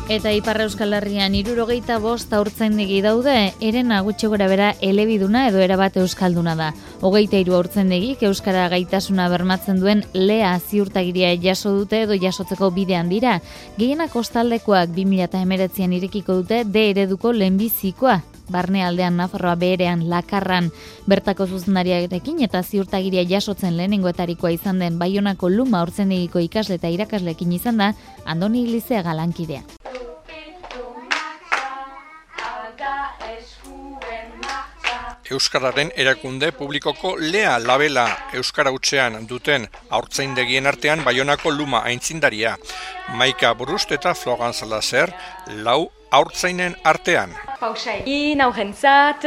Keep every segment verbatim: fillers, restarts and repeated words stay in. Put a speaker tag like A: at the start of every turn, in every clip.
A: Eta Ipar Euskal Herrian hirurogeita bost haurtzaindegi daude, herena gutxi gorabehera elebiduna edo erabat euskalduna da. Hogeita hiru haurtzaindegik euskara gaitasuna bermatzen duen lea ziurtagiria jaso dute edo jasotzeko bidean dira. Gehienak kostaldekoak bi mila hemeretzian irekiko dute D ereduko lehenbizikoa. Barnealdean, Nafarroa beherean, Lakarran, bertako zuzendariarekin eta ziurtagiria jasotzen lehenengoetarikoa izan den Baionako Luma haurtzaindegiko ikasle eta irakasleekin izan da Andoni Iglizea lankidea.
B: Euskararen erakunde publikoko lea labela euskara hutsean duten haurtzaindegien artean Baionako Luma aitzindaria. Maika Burust eta Florence Lazer lau haurtzainen artean.
C: Pausa egin, aurrentzat,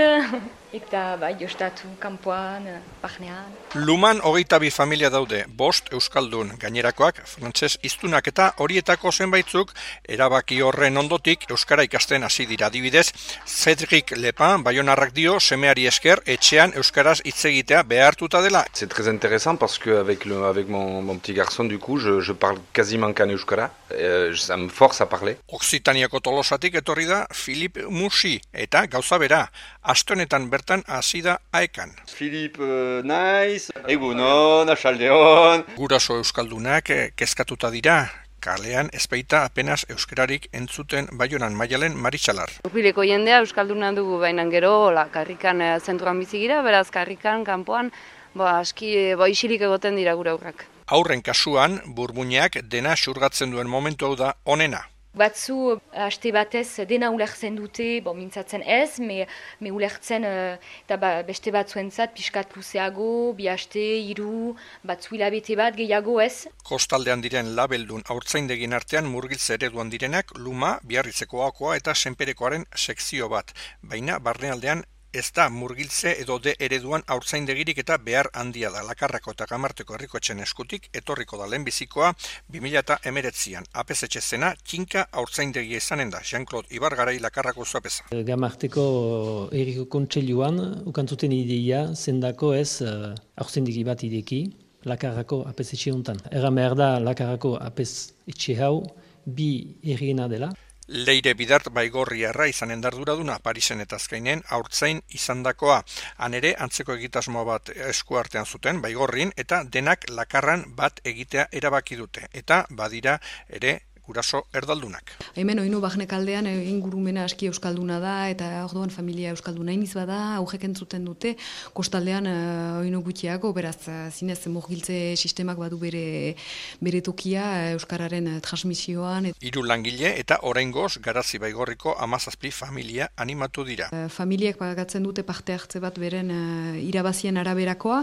C: eta bai, jostatu kanpoan, barnean.
B: Luman hogeita bi familia daude, bost euskaldun, gainerakoak frantses hiztunak eta horietako zenbaitzuk erabaki horren ondotik euskara ikasten hasi dira. Adibidez, Cédric Lepin baionarrak dio semeari esker etxean euskaraz hitz egitea behartuta dela.
D: C'est très intéressant parce que avec le avec mon mon petit garçon du coup je je parle quasiment qu'en euskara, euh, ça me force à parler.
B: Occitaniako Tolosatik etorri da Philippe Musi eta gauza bera, aste honetan bertan hasi da Aekan.
E: Philippe uh, naiz, egunon, axaldeon.
B: Guraso euskaldunak eh, kezkatuta dira. Kalean ezpeita apenas euskararik entzuten Baionan Maialen Maritxalar.
F: Urbileko jendea euskalduna dugu, baina gero la karrikan e, zenturan bizi gira, beraz karrikan kanpoan ba aski e, ba isilik egoten dira gure aurrak.
B: Aurren kasuan burmuinak dena xurgatzen duen momentu hau da onena.
C: Batzu aste batez dena ulertzen dute, bon, mintzatzen ez, me, me ulertzen uh, eta ba, beste batzuentzat pixkat luzeago, bi aste, hiru, batzu hilabete bat gehiago ez.
B: Kostaldean diren labeldun haurtzaindegien artean murgiltze ereduan direnak Luma, Biarritzekoakoa eta Senperekoaren sekzio bat, baina barnealdean ez da murgiltze edo de ereduan haurtzaindegirik eta behar handia da. Lakarrako eta Gamarteko herrikoetxen eskutik etorriko da lehenbizikoa bi mila hemeretzian. Apezetxe zena kinka haurtzaindegia izanen da. Jean-Claude Ibargarai Lakarrako zuapeza.
G: Gamarteko herriko kontseiluan ukantzuten ideia zendako ez uh, haurtzaindegi bat ideki Lakarrako apezetxe hontan. Erran behar da Lakarrako apezetxe hau bi herriena dela.
B: Leire Bidart Baigorriarra izanen darduraduna Parisen eta Azkainen haurtzain izandakoa. Han ere antzeko egitasmo bat eskuartean zuten Baigorrin eta denak Lakarran bat egitea erabaki dute. Eta badira ere guraso erdaldunak.
H: Hemen oinu Barnek aldean ingurumena aski euskalduna da eta orduan familia euskalduna iniz bada, aurrek entzuten dute, kostaldean uh, oinu gutxiago, beraz zinez murgiltze sistemak badu bere, bere tokia euskararen transmisioan.
B: Hiru langile eta oraingoz Garazi Baigorriko hamazazpi familia animatu dira.
H: Uh, familiek pagatzen dute parte hartze bat beren uh, irabazien araberakoa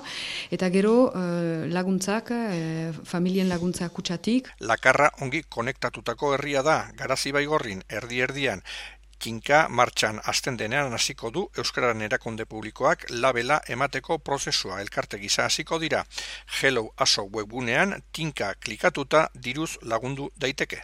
H: eta gero uh, laguntzak, uh, familien laguntzak kutsatik.
B: Lakarra ongi konektatu tutako herria da, Garazi Baigorrin, erdi-erdian, kinka martxan hasten denean hasiko du Euskararen erakunde publikoak labela emateko prozesua elkarte gisa hasiko dira. Hello Aso webgunean tinka klikatuta diruz lagundu daiteke.